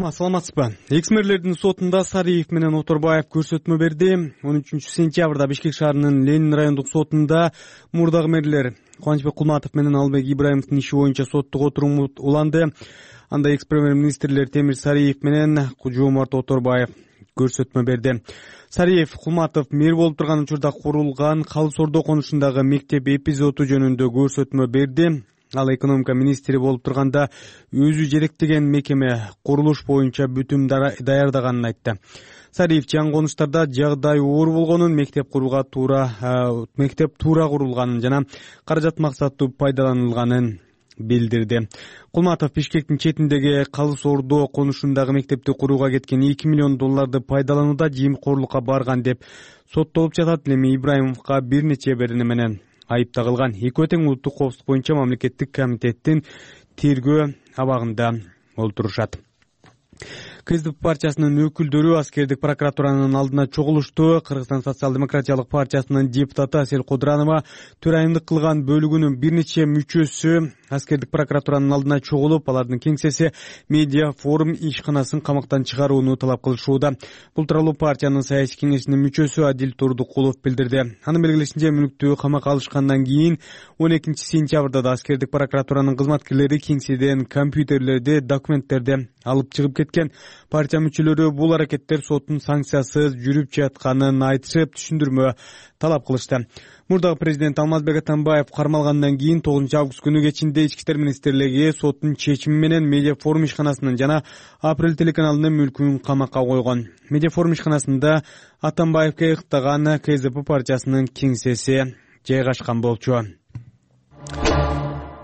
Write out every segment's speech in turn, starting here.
Саламатсызбы? Экс-мэрлердин сотунда Сариев менен Оторбаев көрсөтмө берди. 13-сентябрда Бишкек шаарынын Ленин райондук сотунда мурдагы мэрлер Кубанычбек Кулматов менен Албек Ибраимовдун иши боюнча соттук отурум уланды. Анда экс-премьер-министрлер Темир Сариев менен Жоомарт Оторбаев көрсөтмө берди. Сариев Кулматов мэр болуп турган учурда курулган Калыс Ордо конушундагы мектеп эпизоду жөнүндө көрсөтмө берди. Ал экономика министри болуп турганда өзү жетектеген мекеме курулуш боюнча бүтүм даярдаганын айтты. Сариев жаңы конуштарда жагдай оор болгонун, мектеп туура курулганын жана каражат максаттуу пайдаланылганын билдирди. Кулматов Бишкектин четиндеги Калыс Ордо конушундагы мектепти курууга кеткен $2 миллион пайдаланууда жемкорлукка барган деп соттолуп жатат. Эми Ибраимовго бир нече берене менен айып тагылган. Экөө тең улуттук коопсуздук боюнча мамлекеттик комитеттин тергөө абагында олтурушат. КСДП партиясынын өкүлдөрү аскердик прокуратуранын алдына чогулушту. Кыргызстан социал-демократиялык партиясынын депутаты Асель Кодранова төрайымдык кылган бөлүгүнүн бир нече мүчөсү аскердик прокуратуранын алдына чогулуп, алардын кеңсеси медиа форум ишканасын камактан чыгарууну талап кылышууда. Бул тууралуу партиянын саясий кеңешинин мүчөсү Адил Турдукулов билдирди. Анын белгилешинче, мүлктү камакка алышкандан кийин 12-сентябрда да аскердик прокуратуранын кызматкерлери кеңседен компьютерлерди, документтерди алып чыгып кеткен. Партия мүчөлөрү бул аракеттер соттун санкциясыз жүрүп жатканын айтышып, түшүндүрмө талап кылышты. Мурдагы президент Алмазбек Атамбаев кармалгандан кийин 9-август күнү кечинде Ички иштер министрлиги соттун чечими менен медиа форум ишканасынын жана Апрель телеканалынын мүлкүн камакка койгон. Медиа форум ишканасында Атамбаевге ыктаган КСДП партиясынын кеңсеси жайгашкан болчу.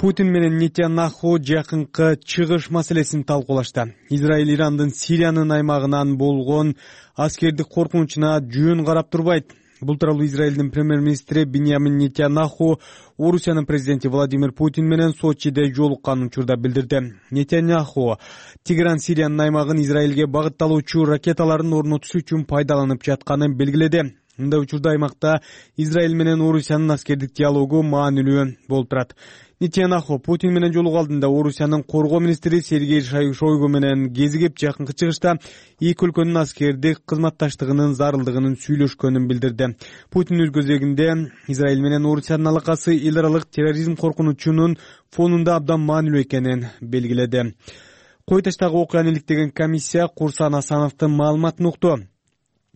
Путин менен Нетаньяху жакынкы чыгыш маселесин талкуулашты. Израиль Ирандын Сириянын аймагынан болгон аскердик коркунучуна жөн карап турбайт. Бул тууралуу Израилдин премьер-министри Биньямин Нетаньяху Орусиянын президенти Владимир Путин менен Сочиде жолуккан учурда билдирди. Нетаньяху Тигран Сириянын аймагын Израилге багытталуучу ракеталарын орнотуш үчүн пайдаланып жатканын белгиледи. Мындай учурда аймакта Израиль менен Орусиянын аскердик диалогу маанилүү болуп турат. Нетаньяху Путин менен жолугуу алдында Орусиянын коргоо министри Сергей Шойгу менен кезигип, жакынкы чыгышта эки өлкөнүн аскердик кызматташтыгынын зарылдыгынын сүйлөшкөнүн билдирди. Путин өз көзөгүндө Израиль менен Орусиянын алакасы эл аралык терроризм коркунучунун фонунда абдан маанилүү экенин белгиледи. Кой таштагы окуяны иликтеген комиссия Курсан Асановдун маалыматын укту.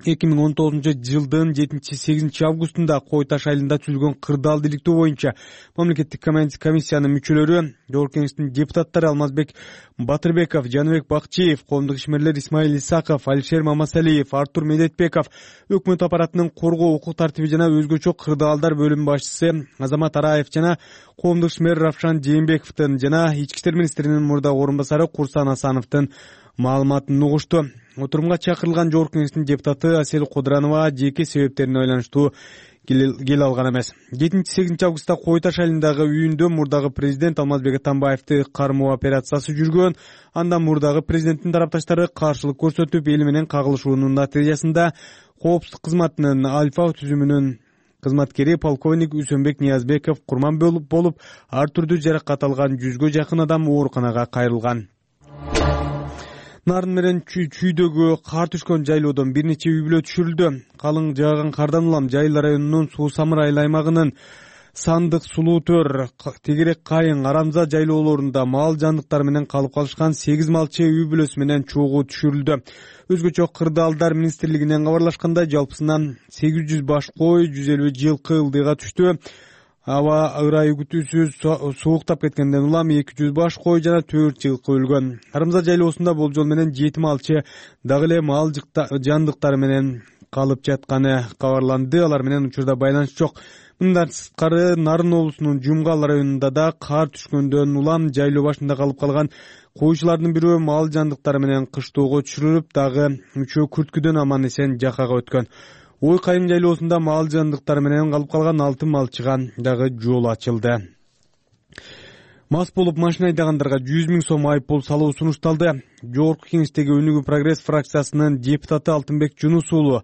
2019 жылдын 7-8 августунда Кой Таш айылында түзүлгөн кырдаал иликтөө боюнча мамлекеттик комиссиянын мүчөлөрү, жогорку кеңештин депутаттары Алмазбек Батырбеков, Жаныбек Бакчиев, коомдук ишмерлер Исмаил Исаков, Алишер Мамасалиев, Артур Медетбеков, өкмөт аппаратынын коргоо укук тартиби жана өзгөчө кырдаалдар бөлүм башчысы Азамат Араев жана коомдук ишмер Равшан Жээнбековдун жана Ички иштер министринин мурдагы орун басары Курсан Асановдун маалыматын угушту. Отурумга чакырылган жогорку кеңештин депутаты Асель Кодранова жеке себептерине байланыштуу келе алган эмес. 7-8 августта Кой Таш айылындагы үйүндө мурдагы президент Алмазбек Атамбаевди кармоо операциясы жүргөн. Анда мурдагы президенттин тарапташтары каршылык көрсөтүп, эл менен кагылышуунун натыйжасында коопсуздук кызматынын Альфа түзүмүнүн кызматкери полковник Үсөнбек Ниязбеков курман болуп, ар түрдүү жаракат алган 100гө жакын адам ооруканага кайрылган. Нарын менен Чүйдөгү кар түшкөн жайлоодон бир нече үй бүлө түшүрүлдү. Калың жааган кардан улам Жайыл районунун Суу Самыр айыл аймагынын Сандык, Сулуу-Төр, Тегерек Кайын, Арамза жайлоолорунда мал жандыктары менен калып калышкан 8 малчы үй бүлөсү менен чогуу түшүрүлдү. Өзгөчө кырдаалдар министрлигинен кабарлашкандай, жалпысынан 800 баш кой, 150 жылкы ылдыйга түштү. Аба ырайы күтүүсүз сууктап кеткенден улам 200 баш кой жана 4 жылкы өлгөн. Арамза жайлоосунда болжол менен 7 малчы дагы эле мал жандыктары менен калып жатканы кабарланды. Алар менен учурда байланыш жок. Мындан сырткары Нарын облусунун Жумгал районунда да кар түшкөндөн улам жайлоо башында калып калган коюучулардын бирөө мал жандыктары менен кыштоого түшүрүлүп, дагы үчөө күрткүдөн аман эсен жакага өткөн. Ой Кайым жайлоосунда мал жандыктары менен калып калган 6 малчыга дагы жол ачылды. Мас болуп машина айдагандарга 100 000 сом айыппул салуу сунушталды. Жогорку кеңештеги Өнүгүү прогресс фракциясынын депутаты Алтынбек Жунус уулу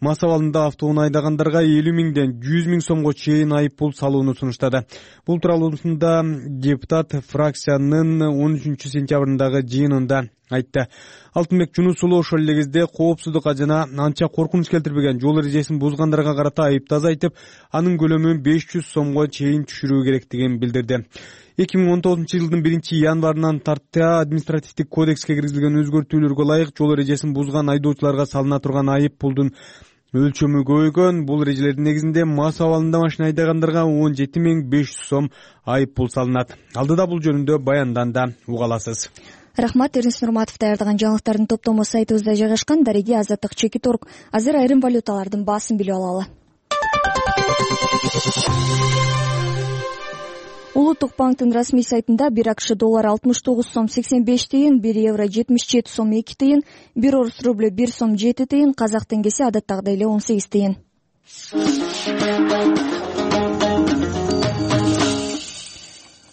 мас абалында автоунаа айдагандарга 50 миңден 100 миң сомго чейин айып пул салууну сунуштады. Бул тууралуусунда депутат фракциянын 13 сентябрындагы жыйынында айтты. Алтынбек Жунусулу ошол эле кезде коопсуздукка жана анча коркунуч келтирбеген жол эрежесин бузгандарга карата айыптаз айтып, анын көлөмүн 500 сомго чейин түшүрүү керектигин билдирди. 2019-жылдын 1-январынан тарта административдик кодекске киргизилген өзгөртүүлөргө ылайык жол эрежесин бузган айдоочуларга салына турган айып пулдун өлчөмү көбөйгөн. Бул эрежелердин негизинде мас абалында машина айдагандарга 17.500 сом айып пул салынат. Алдыда бул жөнүндө баянданды, уга аласыз. Рахмат, Эрнис Нурматов даярдаган жаңылыктардын топтому сайтыбызда жайгашкан. Дареги Азаттык Чекит Орг. Азыр айрым валюталардын баасын билип алалы. Улуттук банктын расмий сайтында 1 АКШ доллары 69 сом 85 тыйын, 1 евро 77 сом 2 тыйын, 1 орус рублю 1 сом 7 тыйын, казак теңгеси адаттагыдай эле 18 тыйын.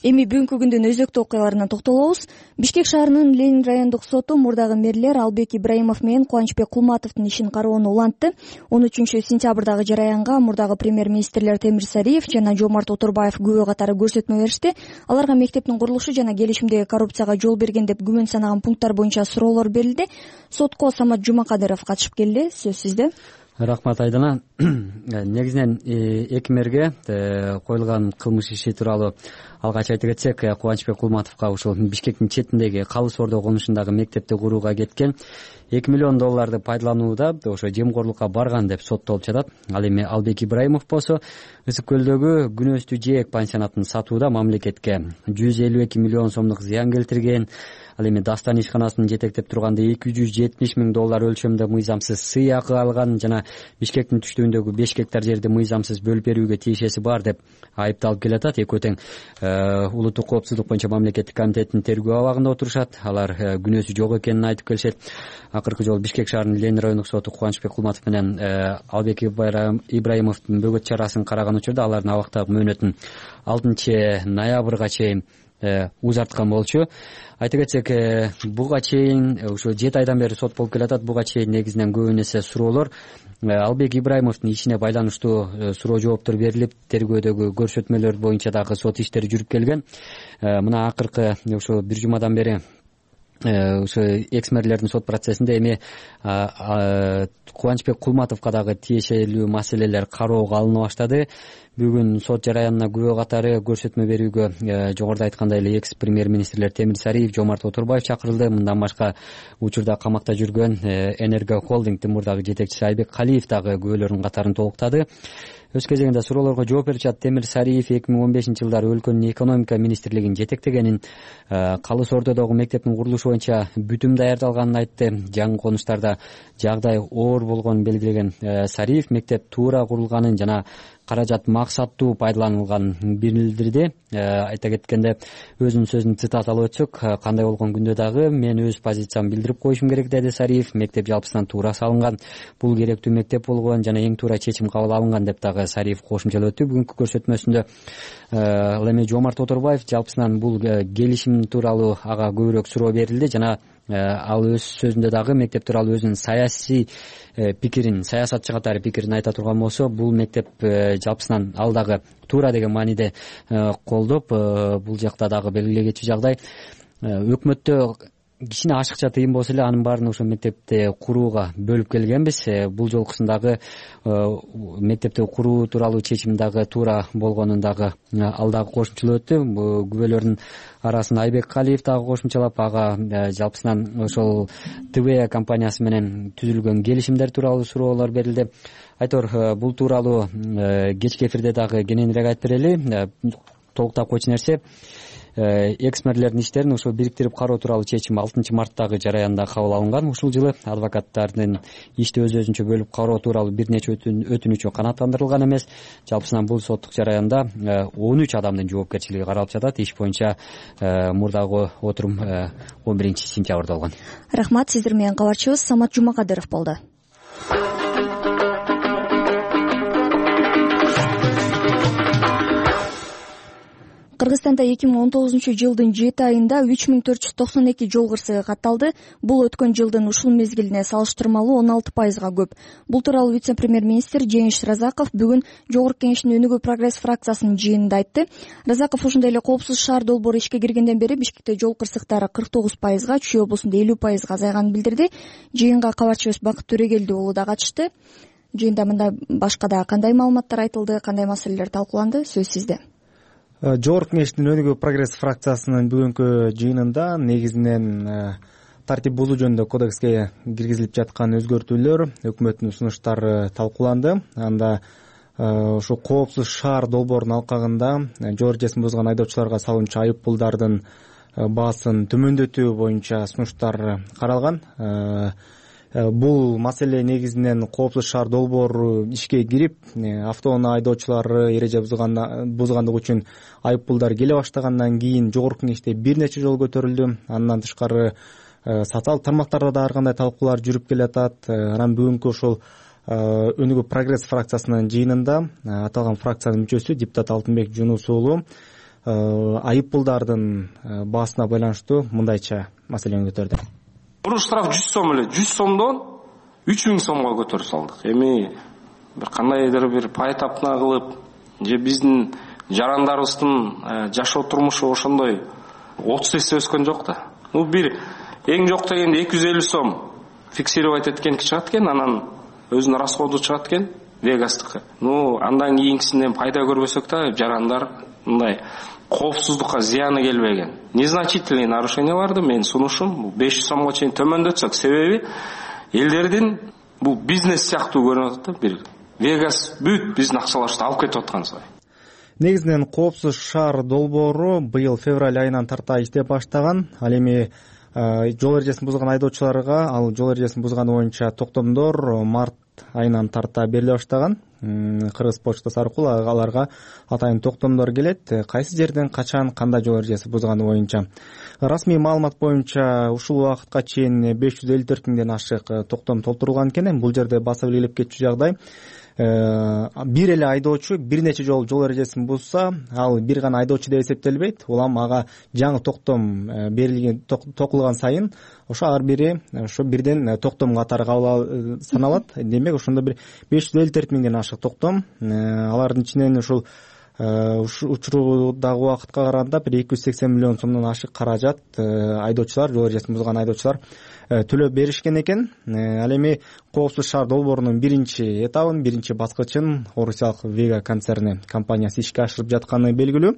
Эми бүгүнкү күндүн өзөктүү окуяларына токтолобуз. Бишкек шаарынын Ленин райондук соту мурдагы мэрлер Албек Ибраимов менен Кубанычбек Кулматовдун ишин кароону улантты. 13 сентябрдагы жараянга мурдагы премьер-министрлер Темир Сариев жана Жомарт Оторбаев күбө катары көрсөтмө беришти. Аларга мектептин курулушу жана келишимдеги коррупцияга жол берген деп күмөн санаган пункттар боюнча суроолор берилди. Сотко Самат Жумакадыров катышып келди. Сөз сизде. Рахмат Айдана. Негизинен эки мэрге коюлган кылмыш иши тууралуу алгач айта кетсек, Кубанычбек Кулматовго ушул Бишкектин четиндеги Калыс Ордо конушундагы мектепти курууга кеткен 2 миллион долларды пайдаланууда ошо жемкорлукка барган деп соттолуп жатат. Ал эми Албек Ибраимов болсо Ысык көлдөгү Күнөстүү Жээк пансионатын сатууда мамлекетке 152 миллион сомдук зыян келтирген. Ал эми Дастан ишканасынын жетектеп турганда 270 миң доллар өлчөмдө мыйзамсыз сый акы алган жана Бишкектин түштүгүндөгү 5 гектар жерди мыйзамсыз бөлүп берүүгө тиешеси бар деп айыпталып келатат. Экөө тең улуттук коопсуздук боюнча мамлекеттик комитеттин тергөө абагында отурушат. Алар күнөөсү жок экенин айтып келишет. Акыркы жолу Бишкек шаарынын Ленин райондук соту Кубанычбек Кулматов менен Албек Ибраимовдун бөгөт чарасын караган учурда алардын абактагы мөөнөтүн 6 ноябрга чейин узарткан болчу. Айта кетсек, буга чейин ошо 7 айдан бери сот болуп келатат. Буга чейин негизинен көбү нерсе суроолор Албек Ибраимовдун ишине байланыштуу суроо жооптор берилип, тергөөдөгү көрсөтмөлөр боюнча дагы сот иштери жүрүп келген. Мына акыркы ошо бир жумадан бери ошо экс-мэрлердин сот процессинде эми Кубанычбек Кулматовго дагы тиешелүү маселелер кароого алына баштады. Бүгүн сот жараянына күбө катары көрсөтмө берүүгө жогоруда айткандай эле экс премьер-министрлер Темир Сариев, Жомарт Оторбаев чакырылды. Мындан башка учурда камакта жүргөн Энерго холдингдин мурдагы жетекчиси Айбек Калиев дагы күбөлөрдүн катарын толуктады. Өз кезегинде суроолорго жооп беришат. Темир Сариев 2015-жылдары өлкөнүн экономика министрлигин жетектегенин, Калыс Ордодогу мектептин курулушу боюнча бүтүм даярдалганын айтты. Жаңы конуштарда жагдай оор болгонун белгилеген Сариев мектеп туура курулганын жана каражат максаттуу пайдаланылганын билдирди. Айта кеткенде, өзүнүн сөзүн цитаталап өтсөк, кандай болгон күндө дагы мен өз позициямды билдирип коюшум керек, деди Сариев. Мектеп жалпысынан туура салынган, бул керектүү мектеп болгон жана эң туура чечим кабыл алынган деп дагы Сариев кошумчалап өттү. Бүгүнкү көрсөтмөсүндө ал эми Жомарт Оторбаев жалпысынан бул келишим тууралуу ага көбүрөөк суроо берилди жана ал өз сөзүндө дагы мектеп тууралуу өзүнүн саясий пикирин, саясатчы катары пикирин айта турган болсо, бул мектеп жалпысынан ал дагы туура деген мааниде колдоп, бул жакта дагы белгилегичи жагдай. Өкмөттө кичине ашыкча тыйын болсо эле анын баарын ошо мектепти курууга бөлүп келгенбиз. Бул жолкусундагы мектепти куруу тууралуу чечим дагы туура болгонун дагы ал дагы кошумчалап өттү. Күбөлөрдүн арасын Айбек Калиев дагы кошумчалап, ага жалпысынан ошол ТВ компаниясы менен түзүлгөн келишимдер тууралуу суроолор берилди. Айтор, бул тууралуу кечки эфирде дагы кененирээк айтып берели. Толуктап койчу нерсе, экс-мэрлердин иштерин ошо бириктирип кароо тууралуу чечим 6 марттагы жараянда кабыл алынган. Ушул жылы адвокаттардын ишти өз-өзүнчө бөлүп кароо тууралуу бир нече өтүнүчү канааттандырылган эмес. Жалпысынан бул соттук жараянда 13 адамдын жоопкерчилиги каралып жатат. Иш боюнча мурдагы отурум 11 сентябрда болгон. Рахмат, сиздер менен кабарчыбыз Самат Жумакадыров болду. Кыргызстанда 2019-жылдын 7 айында 3492 жол кырсыгы катталды. Бул өткөн жылдын ушул мезгилине салыштырмалуу 16%га көп. Бул тууралуу вице-премьер-министр Жеңиш Разаков бүгүн Жогорку Кеңештин Өнүгүү прогресс фракциясынын жыйынында айтты. Разаков ошондой эле коопсуз шаар долбоору ишке киргенден бери Бишкекте жол кырсыктары 49%га, Чүй облусунда 50%га азайганын билдирди. Жыйынга кабарчыбыз Бакыт Төрөгелди уулу да катышты. Жыйында мында башка да кандай маалыматтар айтылды, кандай маселелер талкууланды? Сөз сизде. Жогорку Кеңештин Өнүгүү прогресс фракциясынын бүгүнкү жыйынында негизинен тартип бузуу жөнүндө кодекске киргизилип жаткан өзгөртүүлөр, өкмөттүн сунуштары талкууланды. Анда ушу коопсуз шаар долбоорунун алкагында жол эрежесин бузган айдоочуларга салынчу айып пулдардын баасын төмөндөтүү боюнча сунуштар каралган. Бул маселе негизинен коопсуз шаар долбоору ишке кирип, автоунаа айдоочулары эреже бузгандык үчүн айып пулдар келе баштагандан кийин Жогорку Кеңеште бир нече жолу көтөрүлдү. Андан тышкары социалдык тармактарда да ар кандай талкуулар жүрүп келатат. Анан бүгүнкү ошол Өнүгүү прогресс фракциясынын жыйынында аталган фракциянын мүчөсү депутат Алтынбек Жунус уулу айып пулдардын баасына байланыштуу мындайча маселени көтөрдү. Бул штраф 100 сом эле, 100 сомдон 3000 сомго көтөрүп салдык. Эми бир кандайдыр бир пай тапна кылып, же биздин жарандарыбыздын жашоо турмушу ошондой 30 эсе өскөн жок да. Бул бир эң жок дегенде 250 сом фиксировать эткен чыгат экен, анан өзүнүн расходу чыгат экен Вегастыкы. Андан кийинкисинен пайда көрбөсөк да жарандар мындай коопсуздукка зыяны келбеген. Незначительный нарушенияларды мен сунушум 500 сомго чейин төмөндөтсөк, себеби элдердин бул бизнес сыяктуу көрүнүп атат да, бир Вегас бүт биздин акчаларыбызды алып кетип аткансыз. Негизинен коопсуз шаар долбоору быйыл февраль айынан тарта иштеп баштаган. Ал эми жол эрежесин бузган айдоочуларга ал жол эрежесин бузганы боюнча токтомдор март айынан тарта бериле баштаган. Кыргыз почтасы аркылуу аларга атайын токтомдор келет. Кайсы жерден, качан, кандай жол эрежеси бузганы боюнча. Расмий маалымат боюнча ушул убакытка чейин 554 миңден ашык токтом толтурулган экен. Бул жерде баса белгилеп кетчү жагдай. Бир эле айдоочу бир нече жол эрежесин бузса, ал бир гана айдоочу деп эсептелбейт. Улам ага жаңы токтом берилген, токулган сайын ошо ар бири ошо бирден токтом катары кабыл саналат. Демек ошондо бир 554 миңден ашык токтом. Алардын ичинен ушул учурдагы убакытка караганда бир 280 миллион сомдон ашык каражат айдоочулар, жол эрежесин бузган айдоочулар төлөп беришкен экен. Ал эми коопсуз шаар долбоорунун биринчи этабын, биринчи баскычын орусиялык Вега концерни компаниясы ишке ашырып жатканы белгилүү.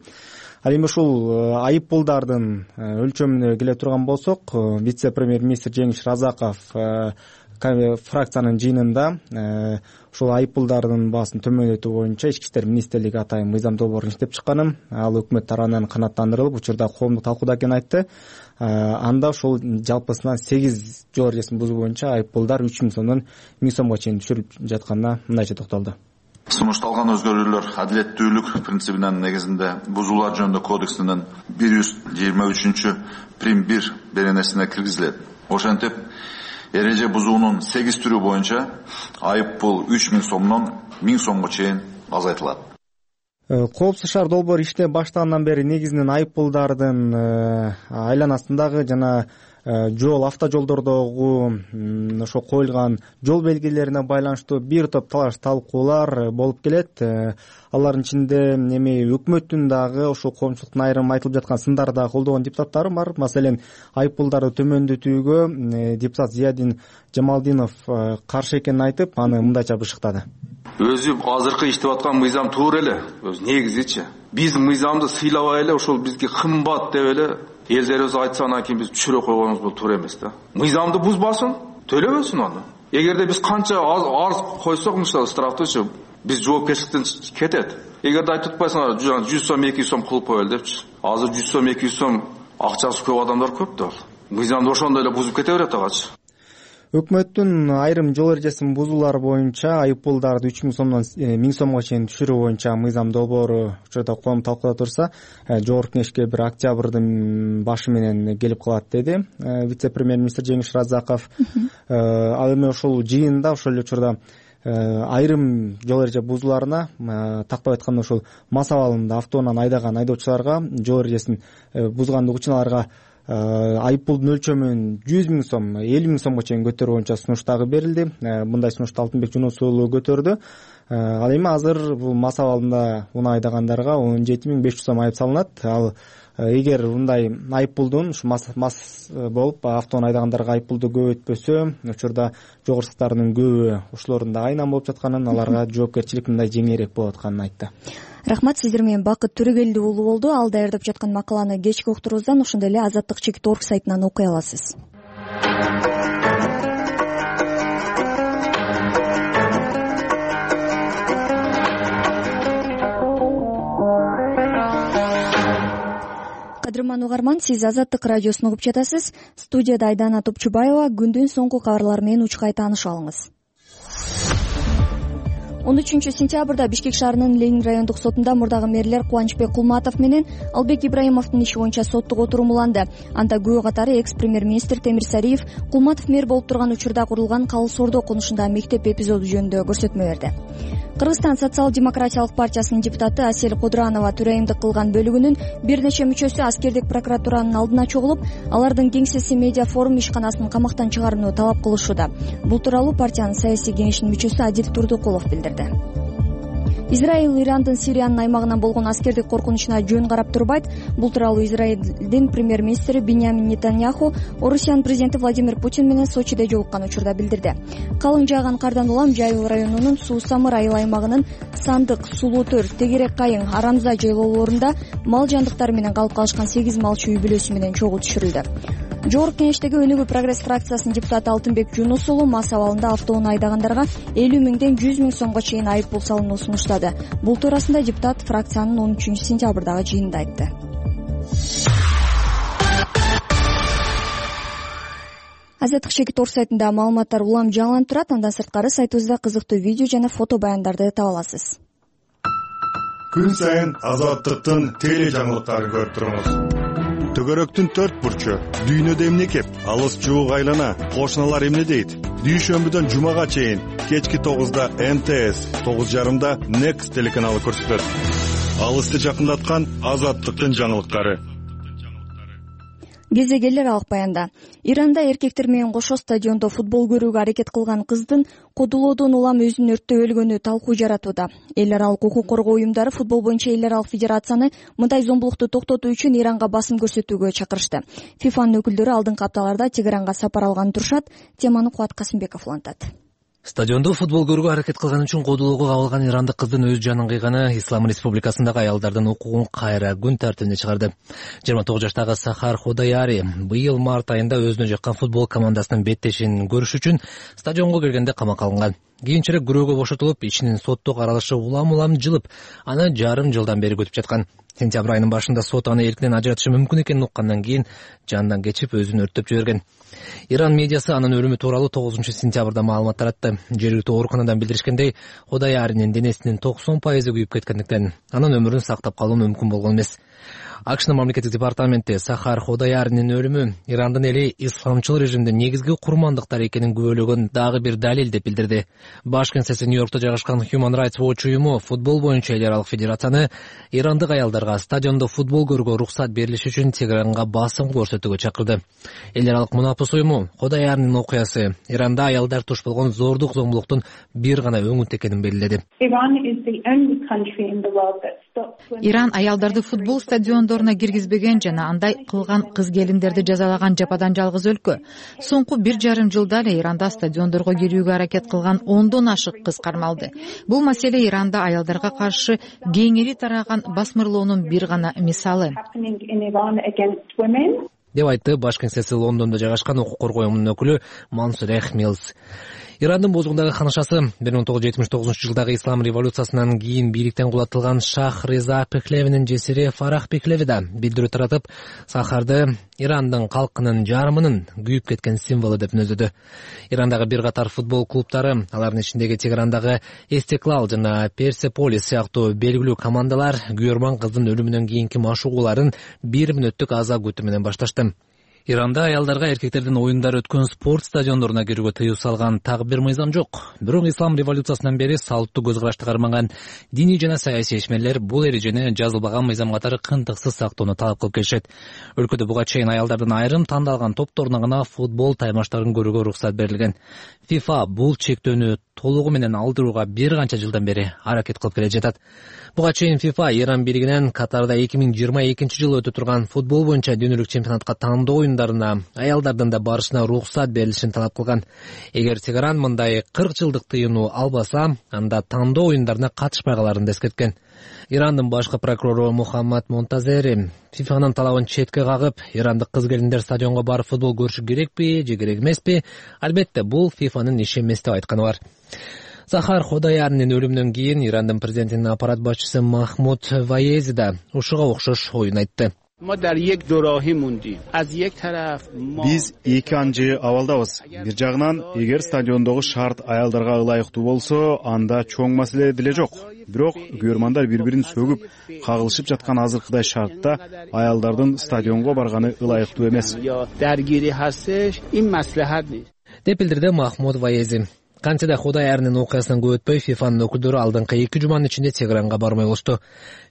Ал эми ушул айып пулдардын өлчөмүнө келе турган болсок, вице-премьер-министр Жеңиш Разаков фракциянын жыйынында ушул айып пулдардын баасын төмөндөтүү боюнча Ички иштер министрлиги атайын мыйзам долбоорун иштеп чыкканын, ал өкмөт тарабынан канааттандырылып, учурда коомдук талкууда экенин айтты. Анда ушул жалпысынан 8 жол эрежесин бузуу боюнча айып пулдар 3000 сомдон 1000 сомго чейин түшүрүлүп жатканына мындайча токтолду. Сунушталган өзгөрүүлөр адилеттүүлүк принцибинин негизинде бузуулар жөнүндө кодексинин 123 прим 1 беренесине киргизилет. Ошентип эреже бузуунун 8 түрү боюнча айып пул 3000 сомдон 1000 сомго чейин азайтылат. Коопсуз шаар долбоору иштеп баштагандан бери негизинен айып пулдардын айланасындагы жана автожолдордогу ошо коюлган жол белгилерине байланыштуу бир топ талаш талкуулар болуп келет. Алардын ичинде эми өкмөттүн дагы ошо коомчулуктун айрым айтылып жаткан сындарды да колдогон депутаттары бар. Маселен, айып пулдарды төмөндөтүүгө депутат Зиядин Жамалдинов каршы экенин айтып, аны мындайча бышыктады. Өзү азыркы иштеп аткан мыйзам туура эле, өз негизичи. Биздин мыйзамды сыйлабай эле ошол бизге кымбат деп эле элдерибиз айтса, анан кийин биз түшүрө койгонубуз бул туура эмес да. Мыйзамды бузбасын, төлөбөсүн аны. Эгерде биз канча арыз койсок, мисалы штрафтычы, биз жоопкерчиликтен кетет. Эгерде айтып атпайсыңар, 100 сом 200 сом кылып коелу депчи. Азыр 100 сом 200 сом акчасы көп адамдар көп да. Мыйзамды ошондой эле бузуп кете берет агачы. Өкмөттүн айрым жол эрежесин бузуулар боюнча айып пулдарды 3000 сомдон 1000 сомго чейин түшүрүү боюнча мыйзам долбоору учурда коом талкууда турса, Жогорку Кеңешке бир октябрдын башы менен келип калат деди вице-премьер-министр Жеңиш Разаков. Ал эми ошол жыйында ошол эле учурда айрым жол эреже бузууларына, тактап айтканда ушул мас абалында автоунан айдаган айдоочуларга жол эрежесин бузгандык үчүн аларга айыппулдун өлчөмүн 100 000 сом, 50 000 сомго чейин көтөрүү боюнча сунуш дагы берилди. Мындай сунушту Алтынбек Жунусов уулу көтөрдү. Ал эми азыр бул мас абалында унаа айдагандарга 17 500 сом айып салынат. Ал эгер мындай айыппулдун ушу мас болуп автоунаа айдагандарга айыппулду көбөйтпөсө, учурда жогору сыктардын көбү ушулордун да айынан болуп жатканын, аларга жоопкерчилик мындай жеңилирээк болуп атканын айтты. Рахмат, сиздер менен Бакыт Төрөгелди уулу болду. Ал даярдап жаткан макаланы кечки уктурубуздан, ошондой эле Азаттык.org сайтынан окуй аласыз. Кадырман угарман, сиз Азаттык радиосун угуп жатасыз. Студияда Айдана Топчубаева. Күндүн соңку кабарлары менен учкай таанышып алыңыз. 13-сентябрда Бишкек шаарынын Ленин райондук сотунда мурдагы мэрлер Кубанычбек Кулматов менен Албек Ибраимовдун иши боюнча соттук отурум уланды. Анда күбө катары экс-премьер-министр Темир Сариев Кулматов мэр болуп турган учурда курулган Калыс Ордо конушундагы мектеп эпизоду жөнүндө көрсөтмө берди. Кыргызстан социал-демократиялык партиясынын депутаты Асель Кудранова төрайымдык кылган бөлүгүнүн бир нече мүчөсү аскердик прокуратуранын алдына чогулуп, алардын кеңсеси Медиа форум ишканасынын камактан чыгарууну талап кылышууда. Бул тууралуу партиянын саясий кеңешинин мүчөсү Адил Турдукулов билдирди. Израиль Ирандын Сириянын аймагынан болгон аскердик коркунучуна жөн карап турбайт. Бул тууралуу Израилдин премьер-министри Биньямин Нетаньяху Орусиянын президенти Владимир Путин менен Сочиде жолуккан учурда билдирди. Калың жааган кардан улам Жайыл районунун Суу-Самыр айыл аймагынын Сандык, Сулуу-Төр, Тегерек Кайың, Арамза жайлоолорунда мал жандыктары менен калып калышкан 8 малчы үй бүлөсү менен чогуу түшүрүлдү. Жогорку Кеңештеги Өнүгүү прогресс фракциясынын депутаты Алтынбек Жунус уулу мас абалында автоунаа айдагандарга 50 000ден 100 000 сомго чейин айыппул салууну сунуштады. Бул туурасында депутат фракциянын 13-сентябрдагы жыйынында айтты. Азаттык.org сайтында маалыматтар улам жаңыланып турат. Андан сырткары сайтыбызда кызыктуу видео жана фото баяндарды таба аласыз. Күн сайын Азаттыктын теле жаңылыктарын көрүп туруңуз. Төгөрөктүн 4 бурчу, дүйнөдө эмне кеп, алыс жуук айлана, кошуналар эмне дейт? Дүйшөмбүдөн жумага чейин кечки 9да МТС, 9:30да Next телеканалы көрсөтөт. Алысты жакындаткан Азаттыктын жаңылыктары. Кезегелер алык баянда. Иранда эркектер менен кошо стадиондо футбол көрүүгө аракет кылган кыздын кодулоодон улам өзүн өрттөп өлгөнү талкуу жаратууда. Эл аралык укук коргоо уюмдары футбол боюнча эл аралык федерацияны мындай зомбулукту токтотуу үчүн Иранга басым көрсөтүүгө чакырышты. ФИФАнын өкүлдөрү алдыңкы апталарда Тегеранга сапар алганы турушат. Теманы Кубат Касымбеков улантат. Стадиондо футбол көрүүгө аракет кылган үчүн кодулоого кабылган ирандык кыздын өз жанын кыйганы Ислам Республикасындагы аялдардын укугун кайра күн тартибине чыгарды. 29 жаштагы Сахар Ходаяри быйыл март айында өзүнө жаккан футбол командасынын беттешин көрүш үчүн стадионго киргенде камакка алынган. Кийинчерээк күрөөгө бошотулуп, ичинин соттук аралышы улам жылып, аны жарым жылдан бери күтүп жаткан. Сентябрь айынын башында сот аны эркинен ажыратышы мүмкүн экенин уккандан кийин жандан кечип өзүн өрттөп жиберген. Иран медиасы анын өлүмү тууралуу 9-сентябрда маалымат таратты. Жергиликтүү ооруканадан билдиришкендей, Ходаяринин денесинин 90% күйүп кеткендиктен анын өмүрүн сактап калуу мүмкүн болгон эмес. АКШнын мамлекеттик департаменти Сахар Ходаяринин өлүмү Ирандын эли исламчыл режимдин негизги курмандыктары экенин күбөлөгөн дагы бир далил деп билдирди. Баш кеңсеси Нью-Йоркто жайгашкан Human Rights Watch уюму футбол боюнча эл аралык федерацияны ирандык аялдарга стадиондо футбол көрүүгө уруксат берилиши үчүн Тегеранга басым көрсөтүүгө чакырды. Эл аралык мунапыс уюму Ходаяринин окуясы Иранда аялдар туш болгон зордук зомбулуктун бир гана өңүт экенин белгиледи. Иран аялдарды футбол стадиондоруна киргизбеген жана андай кылган кыз-келиндерди жазалаган жападан жалгыз өлкө. Соңку 1,5 жылда эле Иранда стадиондорго кирүүгө аракет кылган 10дон ашык кыз кармалды. Бул маселе Иранда аялдарга каршы кеңири тараган басмырлоонун бир гана мисалы. Деп айтты баш кеңсеси Лондондо жайгашкан укук коргоо уюмунун өкүлү Мансур Эхмилс. Ирандын бозугундагы ханышасы 1979 жылдагы ислам революциясынан кийин бийликтен кулатылган Шах Реза Пехлевинин жесири Фарах Пехлеви да билдирүү таратып, Сахарды Ирандын калкынын жарымынын күйүп кеткен символу деп мүнөздөдү. Ирандагы бир катар футбол клубтары, алардын ичиндеги Тегерандагы Эстеклал жана Персеполис сыяктуу белгилүү командалар күйөрман кыздын өлүмүнөн кийинки машыгууларын 1 мүнөттүк аза күтүү менен башташты. Иранда аялдарга эркектердин оюндар өткөн спорт стадиондоруна кирүүгө тыюу салган так бир мыйзам жок. Бирок ислам революциясынан бери салттуу көз карашты кармаган диний жана саясий ишмерлер бул эрежени жазылбаган мыйзам катары кынтыксыз сактоону талап кылып келишет. Өлкөдө буга чейин аялдардын айрым тандалган топторуна гана футбол таймаштарын көрүүгө уруксат берилген. FIFA бул чектөөнү толугу менен алдырууга бир канча жылдан бери аракет кылып келе жатат. Буга чейин FIFA Иран бийлигинен Катарда 2022-жылы өтө турган футбол боюнча дүйнөлүк чемпионатка тандоо оюндарына аялдардын да барышына уруксат берилишин талап кылган. Эгер Тегеран мындай 40 жылдык тыюуну албаса, анда тандоо оюндарына катышпай да эскерткен. Ирандын башкы прокурору Мухаммад Монтазери FIFAнын талабын четке кагып, ирандык кыз-келиндер стадионго барып футбол көрүшү керекпи же керек эмеспи? Албетте, бул FIFAнын иши эмес деп айтканы бар. Сахар Ходаярнын өлүмүнөн кийин Ирандын президентинин аппарат башчысы Махмуд Ваези да ушуга окшош оюн айтты. Биз эки анжы абалдабыз. Бир жагынан, эгер стадиондогу шарт аялдарга ылайыктуу болсо, анда чоң маселе деле жок. Бирок көрөрмандар бири-бирин сөгүп, кагылышып жаткан азыркыдай шартта аялдардын стадионго барганы ылайыктуу эмес. Деп билдирди Махмуд Ваези. Кантсе да Ходаярнын окуясынан көп өтпөй FIFAнын өкүлдөрү алдыңкы 2 жуманын ичинде Тегеранга бармай болушту.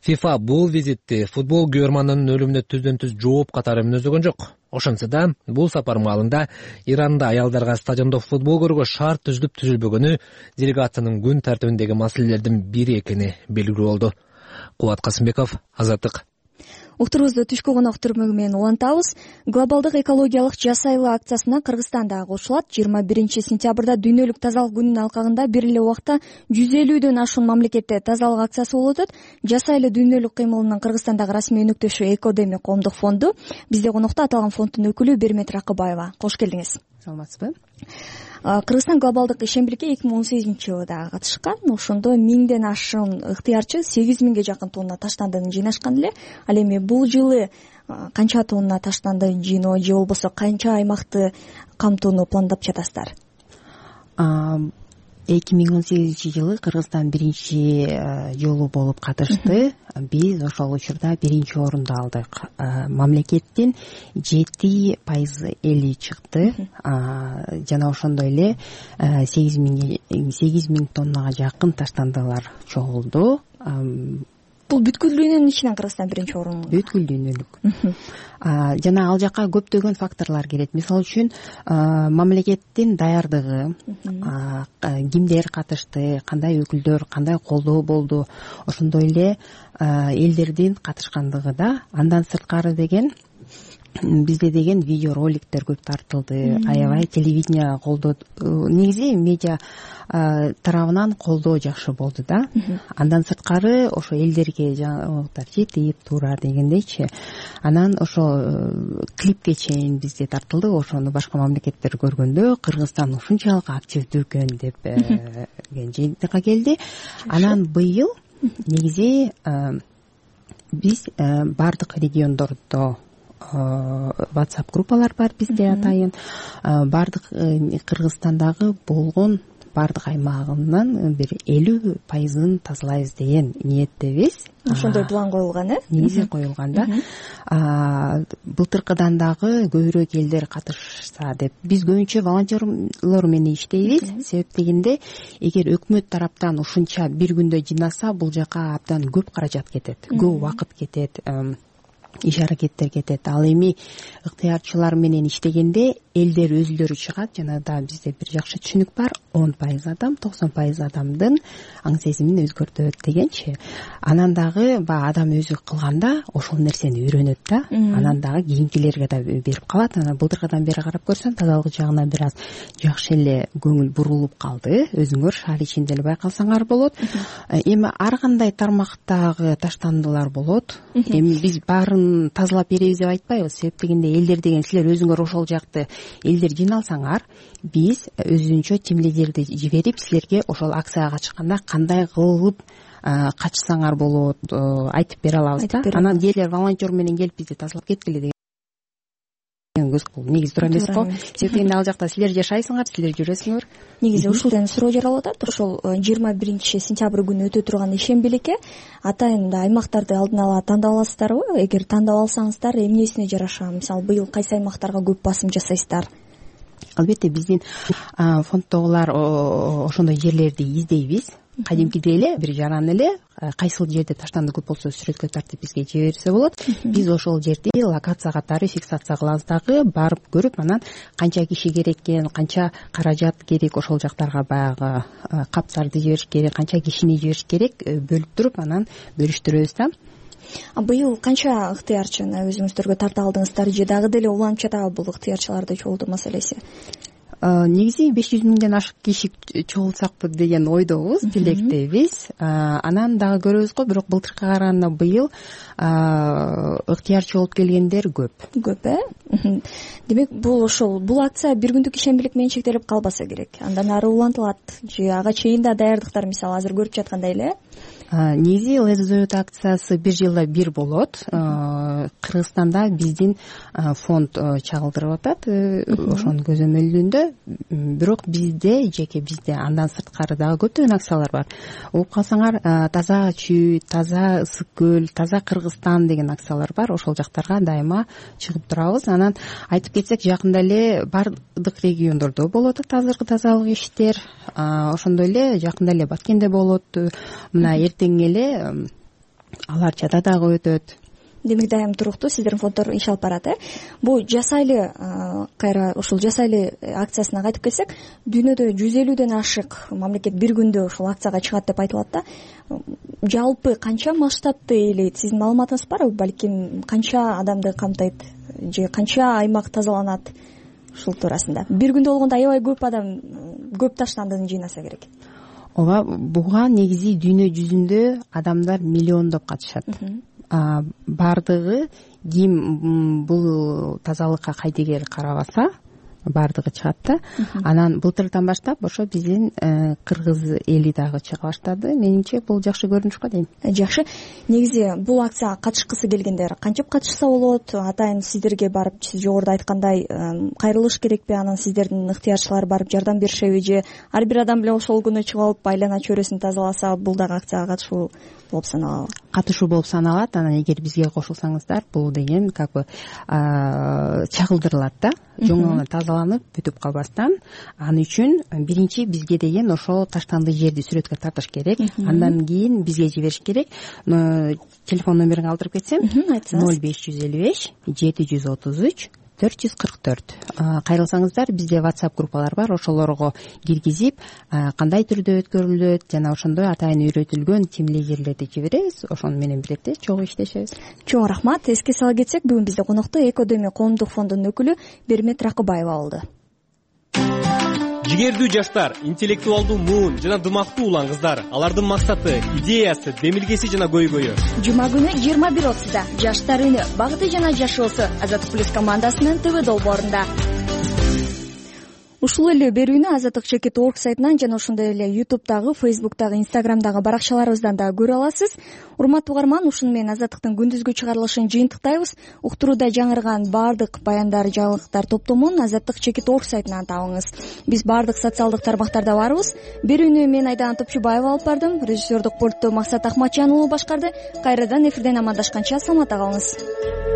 FIFA бул визитти футбол көрөрманынын өлүмүнө түздөн-түз жооп катары мүнөздөгөн жок. Ошентсе да, бул сапар маалында Иранда аялдарга стадиондо футбол көрүүгө шарт түзүлүп түзүлбөгөнү делегациянын күн тартибиндеги маселелердин бири экени белгилүү болду. Кубат Касымбеков, Азаттык. Уктурубузду түшкү конок түрмөгү менен улантабыз. Глобалдык экологиялык жаз айылы акциясына Кыргызстан да кошулат. 21-сентябрда дүйнөлүк тазалык күнүнүн алкагында бир эле убакта 150дөн ашуун мамлекетте тазалык акциясы болуп өтөт. Жаз айылы дүйнөлүк кыймылынын Кыргызстандагы расмий өнөктөшү Экодеми коомдук фонду. Бизде конокто аталган фонддун өкүлү Бермет Ракыбаева. Кош келдиңиз. Саламатсызбы? Кыргызстан глобалдык ишембирикке 2018-жылы катышкан. Ошондо 1000ден ашуун ыктыярчы 8000ге жакын тонна таштандыны жыйнашкан эле. Ал эми бул жылы канча тонна таштанды жыйноо же болбосо канча аймакты камтууну пландап жатасыздар? 2018-жылы Кыргызстан биринчи жолу болуп катышты. Биз ошол учурда биринчи орунду алдык. Мамлекеттин 7% эли чыкты. Жана ошондой эле 8000 тоннага жакын таштандылар чогулду. Бул бүткүл дүйнөнүн ичинен Кыргызстан биринчи орун. Бүткүл дүйнөлүк. Жана ал жака көптөгөн факторлор кирет. Мисалы үчүн, мамлекеттин даярдыгы, кимдер катышты, кандай өкүлдөр, кандай колдоо болду, ошондой эле элдердин катышкандыгы да. Андан сырткары деген бизде деген видео роликтер көп тартылды, аябай телевидение колдоо, негизи медиа тарабынан колдоо жакшы болду да. Андан сырткары ошо элдерге жаңагылар жетип турар дегендейчи. Анан ошо клипке чейин бизде тартылды. Ошону башка мамлекеттер көргөндө Кыргызстан ушунчалык активдүү экен деп жыйынтыкка келди. Анан быйыл негизи биз бардык региондордо WhatsApp группалар бар бизде атайын. Бардык Кыргызстандагы болгон бардык аймагынан бир 50% тазалайбыз деген ниеттебиз. Ошондой план коюлган, негизи коюлган да. Былтыркыдан дагы көбүрөөк элдер катышса деп. Биз көбүнчө волонтерлор менен иштейбиз. Себеп дегенде, эгер өкмөт тараптан ушунча бир күндө жыйнаса, бул жака абдан көп каражат кетет, көп убакыт кетет, иш аракеттер кетет. Ал эми ыктыярчылар менен иштегенде элдер өзүлөрү чыгат. Жана да бизде бир жакшы түшүнүк бар. 10% адам, 90% адамдын аң сезимин өзгөртөт дегенчи. Анан дагы адам өзү кылганда ошол нерсени үйрөнөт да. Анан дагы кийинкилерге да берип калат. Анан былтыркыдан бери карап көрсөм, тазалык жагына бир аз жакшы эле көңүл бурулуп калды. Өзүңөр шаар ичинде эле байкасаңар болот. Эми ар кандай тармактагы таштандылар болот. Эми биз баарын тазалап беребиз деп айтпайбыз. Себеп дегенде элдер деген силер өзүңөр ошол жакты элдер жыйналсаңар, биз өзүнчө тимлидерди жиберип силерге ошол акцияга катышканда кандай кылып катышсаңар болот айтып бере алабыз да. Анан элдер волонтер менен келип бизди тазалап кеткиле деген көз негизи туура эмес го. Себеп дегенде ал жакта силер жашайсыңар, силер жүрөсүңөр. Негизи ушул суроо жаралып атат. Ошол 21 сентябрь күнү өтө турган ишембилекке атайын аймактарды алдын ала тандап аласыздарбы? Эгер тандап алсаңыздар, эмнесине жараша? Мисалы, быйыл кайсы аймактарга көп басым жасайсыздар? Албетте биздин фонддогулар ошондой жерлерди издейбиз. Кадимкидей эле бир жаран эле кайсыл жерде таштанды көп болсо сүрөткө тартып бизге жиберсе болот. Биз ошол жерди локация катары фиксация кылабыз дагы, барып көрүп, анан канча киши керек экен, канча каражат керек, ошол жактарга баягы каптарды жибериш керек, канча кишини жибериш керек, бөлүп туруп анан бөлүштүрөбүз да. Быйыл канча ыктыярчыны өзүңүздөргө тарта алдыңыздар же дагы деле уланча бул ыктыярчыларды чогултуу маселеси? Негизи 500 миңден ашык киши чогултсакпы деген ойдобуз, тилектебиз. Анан дагы көрөбүз го, бирок былтыркыга караганда быйыл ыктыярчы болуп келгендер көп. Демек, бул акция бир күндүк ишембилик менен чектелип калбаса керек. Андан ары улантылат же ага чейин да даярдыктар, мисалы азыр көрүп жаткандай эле? Негизи ЛЗЗ акциясы бир жылда бир болот. Кыргызстанда биздин фонд чагылдырып атат ошонун көзөмөлүндө. Бирок бизде андан сырткары дагы көптөгөн акциялар бар. Угуп калсаңар, таза чүй, таза ысык көл, таза Кыргызстан деген акциялар бар. Ошол жактарга дайыма чыгып турабыз. Анан айтып кетсек, жакында эле бардык региондордо болот азыркы тазалык иштер. Ошондой эле жакында эле Баткенде болот. Мына эртең эле Аларчада дагы өтөт. Демек, дайым туруктуу сиздердин фонддор иш алып барат. Бул жасайлы, кайра ушул жасайлы акциясына кайтып келсек, дүйнөдө 150ден ашык мамлекет бир күндө ушул акцияга чыгат деп айтылат да. Жалпы канча масштабты ээлейт? Сиздин маалыматыңыз барбы? Балким канча адамды камтайт же канча аймак тазаланат ушул туурасында? Бир күндө болгондо аябай көп адам, көп таштандыны жыйнаса керек. Ооба, буга негизи дүйнө жүзүндө адамдар миллиондоп катышат. Бардыгы ким бул тазалыкка кайдыгер карабаса, бардыгы чыгат да. Анан былтырдан баштап ошо биздин кыргыз эли дагы чыга баштады. Менимче бул жакшы көрүнүш го дейм. Жакшы. Негизи бул акцияга катышкысы келгендер кантип катышса болот? Атайын сиздерге барып, сиз жогоруда айткандай, кайрылыш керекпи? Анан сиздердин ыктыярчылар барып жардам беришеби же ар бир адам эле ошол күнү чыгып алып айлана чөйрөсүн тазаласа, бул дагы акцияга катышуу болуп саналабы? Катышуу болуп саналат. Анан эгер бизге кошулсаңыздар, бул деген как бы чагылдырылат да. Жоңона тазаланып бүтүп калбастан. Аны үчүн биринчи бизге деген ошол таштанды жерди сүрөткө тартыш керек. Андан кийин бизге жибериш керек. Телефон номерин калтырып кетсем, 0555 733 444. Кайрылсаңыздар, бизде WhatsApp группалар бар, ошолорго киргизип, кандай түрдө өткөрүлөт жана ошондой атайын үйрөтүлгөн тимлегерлерди жиберебиз. Ошону менен бирдикте чогуу иштешебиз. Чоң рахмат. Эске сала кетсек, бүгүн бизде конокто Экодеми коомдук фондунун өкүлү Бермет Ракыбаева болду. Жигердүү жаштар, интеллектуалдуу муун жана дымактуу улан кыздар. Алардын максаты, идеясы, демилгеси жана көйгөйү. Жума күнү 21:30 Жаштар үнү, багыты жана жашоосу Азаттык плюс командасынын ТВ долбоорунда. Ушул эле берүүнү azattik.org сайтынан жана ошондой эле YouTube'дагы, Facebook'дагы, Instagram'дагы баракчаларыбыздан да көрө аласыз. Урматтуу угарман, ушуну менен Азаттыктын күндүзгү чыгарылышын жыйынтыктайбыз. Уктурууда жаңырган баардык баяндар, жаңылыктар топтомун azattik.org сайтынан табыңыз. Биз баардык социалдык тармактарда барбыз. Берүүнү мен Айдан Топчубаева алып бардым. Режиссердук пультту Максат Ахматжан уулу башкарды. Кайрадан эфирден амандашканча саламатта калыңыз.